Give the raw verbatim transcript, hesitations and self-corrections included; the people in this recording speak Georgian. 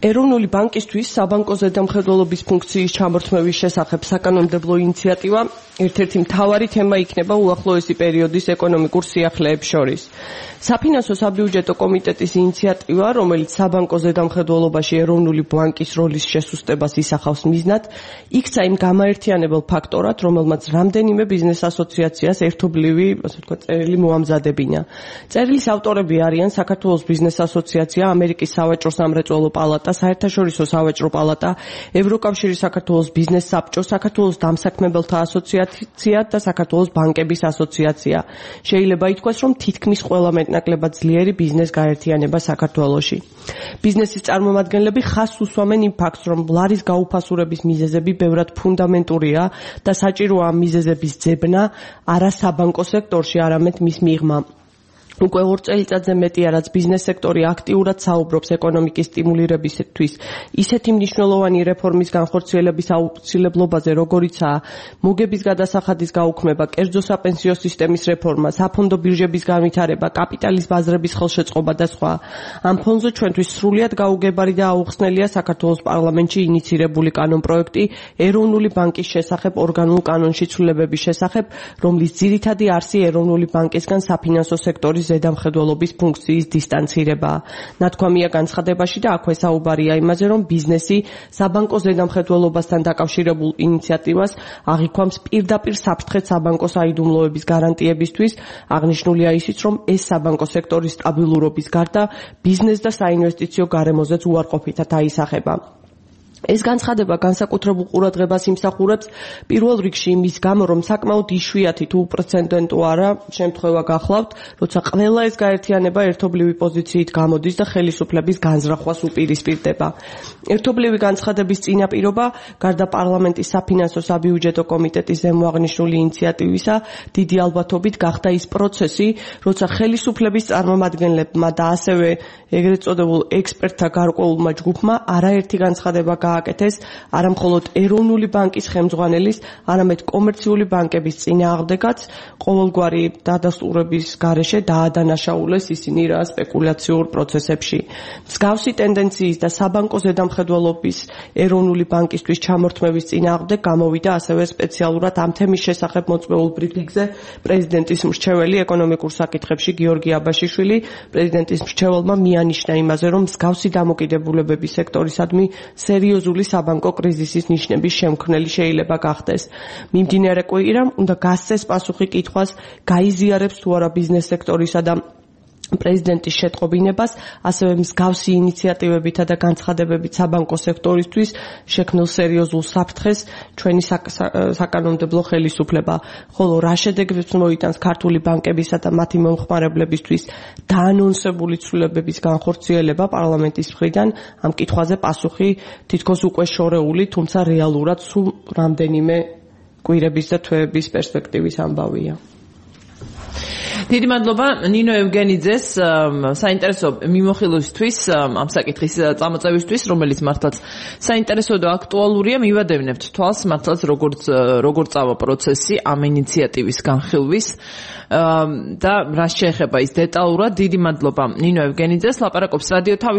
ეროვნული ბანკისთვის საბანკო ზედამხედველობის ფუნქციის ჩამორთმევის შესახებ საკანონმდებლო ინიციატივა ერთ-ერთი მთავარი თემა იქნება უახლოესი პერიოდის ეკონომიკურ სიახლეებს შორის. საფინანსო საბიუჯეტო კომიტეტის ინიციატივა, რომელიც საბანკო ზედამხედველობაში ეროვნული ბანკის როლის შესუსტებას ისახავს მიზნად, იქცა იმ გამაერთიანებელ ფაქტორად, რომელმაც რამდენიმე ბიზნეს ასოციაციას ერთობლივი, ასე ვთქვათ, წერილი მოამზადებინა. წერილის ავტორები არიან საქართველოს ბიზნეს ასოციაცია, ამერიკის სავაჭრო სამრეწველო პალატა, საერთაშორისო სავაჭრო პალატა, ევროკავშირის საქართველოს ბიზნეს საბჭო, საქართველოს დამსაქმებელთა ასოციაცია და საქართველოს ბანკების ასოციაცია. შეიძლება ითქვას, რომ თითქმის ყველა მეტნაკლებად ძლიერი ბიზნეს გაერთიანება საქართველოში. ბიზნესის წარმომადგენლები ხაზს უსვამენ იმ ფაქტს, რომ ლარის გაუფასურების მიზეზები ბევრად ფუნდამენტურია და საჭიროა ამ მიზეზების ძებნა არა საბანკო სექტორში, არამედ მის მიღმა. უკვე ორ წელიწადზე მეტია, რაც ბიზნეს სექტორი აქტიურად საუბრობს ეკონომიკის სტიმულირებისთვის ისეთი მნიშვნელოვანი რეფორმის განხორციელების აუცილებლობაზე, როგორიცაა მოგების გადასახადის გაუქმება, კერძო საპენსიო სისტემის რეფორმა, საფონდო ბირჟების განვითარება, კაპიტალის ბაზრების ხელშეწყობა და სხვა. ამ ფონზე ჩვენთვის სრულიად გაუგებარი და აუხსნელია საქართველოს პარლამენტში ინიცირებული კანონპროექტი ეროვნული ბანკის შესახებ ორგანულ კანონში ცვლილებების შესახებ, რომლის ძირითადი არსი ეროვნული ბანკისგან საფინანსო სექტორის ზედამხედველობის ფუნქციის დისტანცირება. ნათქვამია განცხადებაში და აქვე საუბარია იმაზე, რომ ბიზნესი საბანკო ზედამხედველობასთან დაკავშირებულ ინიციატივას აღიქვამს პირდაპირ საფრთხეს საბანკო საიდუმლოების გარანტიებისთვის. აღნიშნულია ისიც, რომ ეს საბანკო სექტორის სტაბილურობის გარდა ბიზნეს და საინვესტიციო გარემოზეც უარყოფითად აისახება. ეს განცხადება განსაკუთრებულ ყურადღებას იმსახურებს პირველ რიგში იმის გამო, რომ საკმაოდ იშვიათი თუ უპრეცედენტო არა შემთხვევა გახლავთ, როცა ყველა ეს გაერთიანება ერთობლივი პოზიციით გამოდის და ხელისუფლების განზრახვას უპირისპირდება. ერთობლივი განცხადების წინაპირობა, გარდა პარლამენტის საფინანსო საბიუჯეტო კომიტეტის ზემოაღნიშნული ინიციატივისა, დიდი ალბათობით გახდა ის პროცესი, როცა ხელისუფლების წარმომადგენლებმა და ასევე ეგრეთ წოდებულ ექსპერტთა გარკვეულმა ჯგუფმა არაერთი განცხადება გააკეთეს არა მხოლოდ ეროვნული ბანკის ხელმძღვანელის, არამედ კომერციული ბანკების წინააღმდეგაც, ყოველგვარი დადასტურების გარეშე დაადანაშაულეს ისინი რა სპეკულაციურ პროცესებში. მსგავსი ტენდენციის და საბანკო ზედამხედველობის ეროვნული ბანკისთვის ჩამორთმევის წინააღმდეგ გამოვიდა ასევე სპეციალურად ამ თემის შესახებ მოწვეულ ბრიფინგზე პრეზიდენტის მრჩეველი ეკონომიკურ საკითხებში გიორგი აბაშიშვილი. პრეზიდენტის მრჩეველმა მიანიშნა იმაზე, რომ მსგავსი დამოკიდებულებების სექტორისადმი სერიოზული საბანკო კრიზისის ნიშნების შემქმნელი შეიძლება გახდეს. მიმდინარე კვირამ უნდა გასცეს პასუხი კითხვას, გაიზიარებს თუ არა ბიზნეს სექტორისა და პრეზიდენტის შეტყობინებას, ასევე მსგავსი ინიციატივებითა და განცხადებებით საბანკო სექტორისთვის შექმნილ სერიოზულ საფრთხეს ჩვენი საკანონმდებლო ხელისუფლება, ხოლო რა შედეგებს მოიტანს ქართული ბანკებისა და მათი მომხმარებლებისთვის დაანონსებული ცვლილებების განხორციელება პარლამენტის მხრიდან, ამ კითხვაზე პასუხი თითქოს უკვე შორეული, თუმცა რეალურად სულ რამდენიმე კვირების და თვეების პერსპექტივის ამბავია. დიდი მადლობა ნინო ევგენიძეს საინტერესო მიმოხილვისთვის, ამ საკითხის წამოწევისთვის, რომელიც მართლაც საინტერესო და აქტუალურია. მივადევნებთ თვალს მართლაც როგორც როგორ წავა პროცესი ამ ინიციატივის განხილვის და რა შეეხება ის დეტალურად. დიდი მადლობა ნინო ევგენიძეს. ლაპარაკობს რადიო